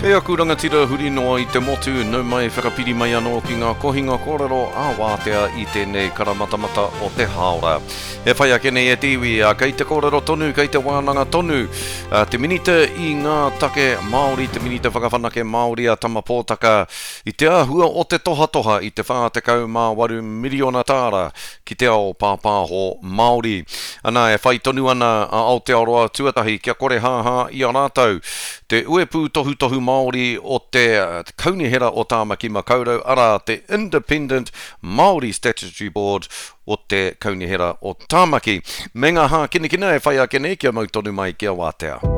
E aku rangatira huri noa i te motu, nau mai whakapiri mai anō ki ngā kohinga kōrero ā wātea i tēnei karamatamata o te hāora. E whai ake nei e te iwi, ā, kei te kōrero tonu, kei te wānanga tonu te Minita i ngā take Māori, te Minita Whakawhanake Māori a Tama Pōtaka i te āhua o te tohatoha i te 48 miriona tāra ki te ao pāpāho Māori. Ana, e whai tonu ana a Aotearoa Tuatahi kia kore hāhā i a rātou te uepū tohutohu Māori o te Kaunihera o Tāmaki Makaurau, arā, te Independent Māori Statutory Board o te Kaunihera o Tāmaki. Me ngā hākinakina e whai ake nei kia mau tonu mai ki a Wātea.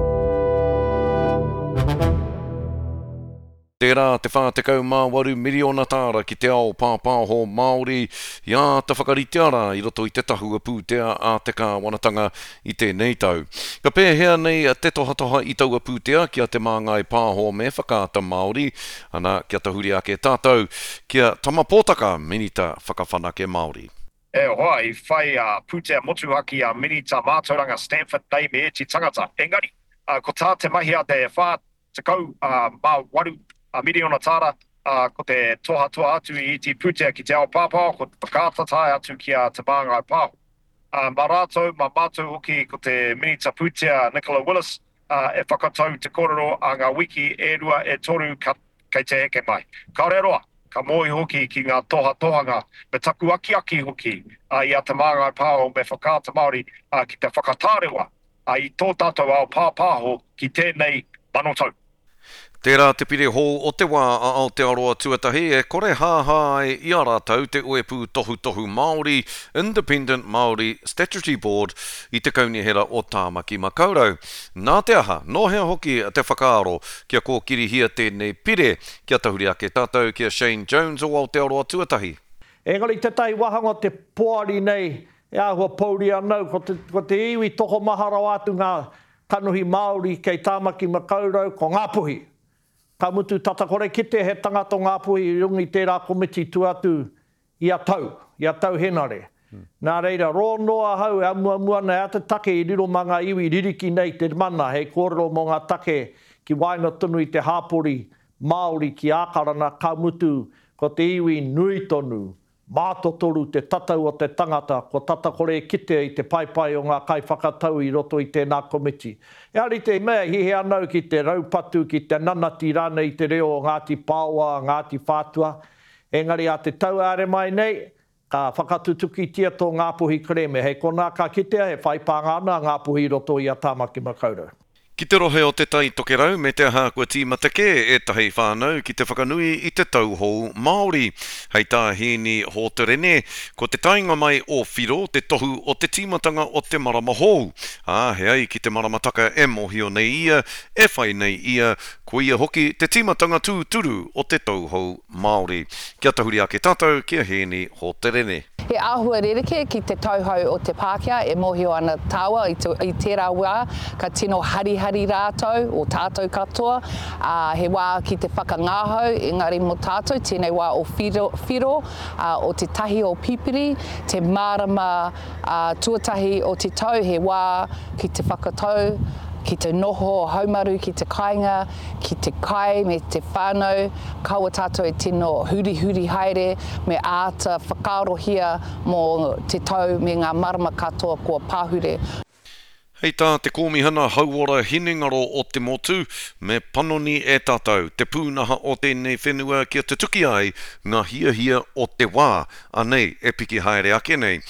Tērā te 48 miriona tāra ki te ao pāpāho Māori i āta whakaritea rā i roto i te tahua pūtea a te kāwanatanga i tēnei tau. Ka pēhea nei te tohatoha i taua pūtea ki a Te Māngai Pāho me Whakaata Māori, ana kia tahuri ake tātou ki a Tama Pōtaka, Minita Whakawhanake Māori. E hoa, i whai a pūtea motuhake a Minita Mātauranga Stanford Day me ēti tangata. Engari, ko tā te mahi a te 18 miriona tāra, ko te tohatoha atu i iti pūtea ki te ao pāpāho, ko te whakaata tae atu ki a Te Māngai Pāho. Mā rātou, mā mātou hoki ko te Minita Pūtea Nicola Willis e whakatau te kōrero a ngā wiki e rua e toru kei te heke mai. Kāore roa, ka mōhio hoki ki ngā tohatohanga me taku akiaki hoki i a Te Māngai Pāho me Whakaata Māori ki te whakatārewa i tō tātou ao pāpāho ki tēnei manotau. Tērā te pire hou o te wā a Aotearoa Tuatahi e kore hāhā ai i a rātou te Uepū Tohutohu Māori, Independent Māori Statutory Board, i te Kaunihera o Tāmaki Makaurau. Nā te aha, nō hea hoki te whakaaro kia kōkirihia tēnei pire, kia tahuri ake tātou ki a Shane Jones o Aotearoa Tuatahi. Engari tētahi wāhanga o te poari nei E āhua pouri ana au, ko te, ko te iwi tokomaha rawa atu ngā kanohi Māori kei Tāmaki Makaurau, ko Ngāpuhi. Ka mutu tata kore kite he tangata o Ngāpuhi i runga i tērā komiti tua atu i a Tau, i a Tau Henare. Nā reira, rō noa ahau e amuamu ana e ata take i riro mā ngā iwi ririki nei te mana hei kōrero mō ngā take ki waenga tonu i te hāpori Māori ki Ākarana, ka mutu, ko te iwi nui tonu, Mātotoru te tatau o te tangata, kua tata kore e kitea i te paepae o ngā kaiwhakatau i roto i tēnā komiti. Ehara i te mea e hiahia ana au ki te raupatu, ki te nanati rānei i te reo o Ngāti Paoa, Ngāti Whātua, engari ā te tau āre mai nei, ka whakatutukitia tō Ngāpuhi kerēme. Hei konā ka kitea e whai pānga ana a Ngāpuhi i roto i a Tāmaki Makaurau. Ki te rohe o Te Tai Tokerau me te aha kua tīmata kē ētahi whānau ki te whakanui i te Tau Hou Māori. Hei tā Hēni Hōterene, ko te taenga mai o Whiro te tohu o te tīmatanga o te marama hou, ā, he ai ki te maramataka e mōhio nei ia, e whai nei ia, koia hoki te tīmatanga tūturu o te Tau Hou Māori. Kia tahuri ake tātou ki a Hēni Hōterene. He āhua rerekē ki te tauhou o te Pākehā e mōhio ana tāua i tērā wā ka tino harihari rātou, o tātou katoa, ā, he wā ki te whakangahau, engari mō tātou tēnei wā o whiro, whiro, ā, o te tahi o Pipiri, te marama, ā, tuatahi o te tau, he wā ki te whakatau, ki te noho haumaru ki te kāinga, ki te kai me te whānau, kaua tātou e tino hurihuri haere, me āta whakaarohia mō te tau me ngā marama katoa kua pahure. Hei tā te Kōmihana Hauora Hinengaro o te Motu, me panoni e tātou te pūnaha o tēnei whenua kia tutuki ai ngā hiahia o te wā, anei e piki haere ake nei.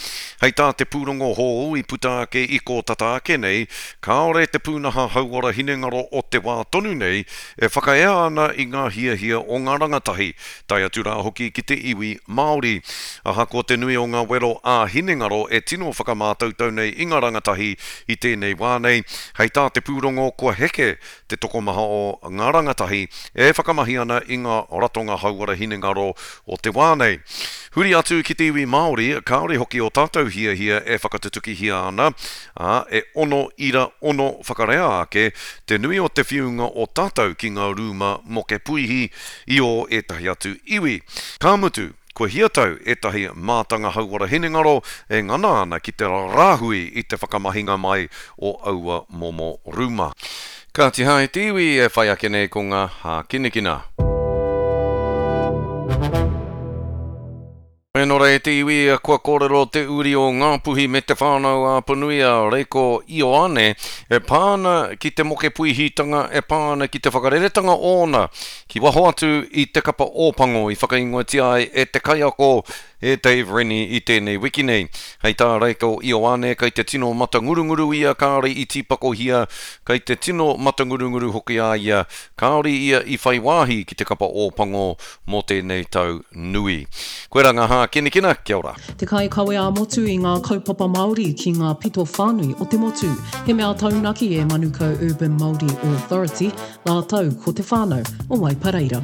Hei tā te pūrongo hou i puta ake i kō tata ake nei, kāore te pūnaha hauora hinengaro o te wā tonu nei e whakaea ana i ngā hiahia o ngā rangatahi, tae atu rā hoki ki te iwi Māori. Ahakoa te nui o ngā wero ā-hinengaro e tino whakamātautau nei i ngā rangatahi i tēnei wā nei, hei tā te pūrongo kua heke te tokomaha o ngā rangatahi e whakamahi ana i ngā ratonga hauora hinengaro o te wā nei. Huri atu ki te iwi Māori, kāore hoki ō tātou hiahia e whakatutukihia ana, ā, e 6.6 whakarea ake te nui o te whiunga o tātou ki ngā rūma moke puihi i ō ētahi atu iwi. Ka mutu, kua hia tau ētahi mātanga hauora hinengaro e ngana ana ki te rāhui i te whakamahinga mai o aua momo rūma. Kāti hai te iwi e whai ake nei ko ngā hākinakina. E nora e te iwi, kua kōrero te uri o Ngāpuhi me Te Whānau a Apanui a Reiko Ioane e pā ana ki te moke puihitanga e pā ana ki te whakareretanga ōna ki waho atu i te kapa Ōpango i whakaingoatia ai e te kaiako e Dave Rennie i tēnei wiki nei. Hei tā Reiko Ioane kei te tino matangurunguru ia kāore i tīpakohia, kei te tino matangurunguru hoki a ia Kāore ia i whai wāhi ki te kapa Ōpango mō tēnei tau nui. Koirā ngā hākinakina, kia ora. Te kaikawe ā-motu i ngā kaupapa Māori ki ngā pito whānui o te motu. He mea taunaki e Manukau Urban Māori Authority rātou ko te whānau o Waipareira.